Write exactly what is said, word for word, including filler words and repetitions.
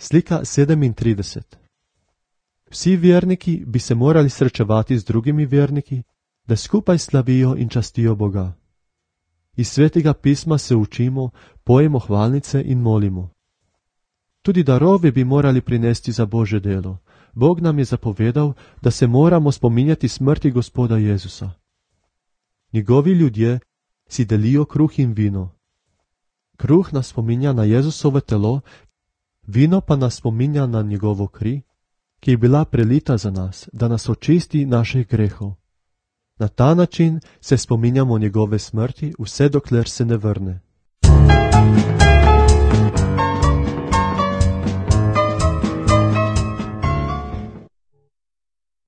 Slika sedemintrideset. Vsi verniki bi se morali srečevati z drugimi verniki, da skupaj slavijo in častijo Boga. Iz svetega pisma se učimo, pojemo hvalnice in molimo. Tudi darove bi morali prinesti za Božje delo. Bog nam je zapovedal, da se moramo spominjati smrti Gospoda Jezusa. Njegovi ljudje si delijo kruh in vino. Kruh nas spominja na Jezusovo telo, vino pa nas spominja na njegovo kri, ki je bila prelita za nas, da nas očisti naših grehov. Na ta način se spominjamo njegove smrti, vse dokler se ne vrne.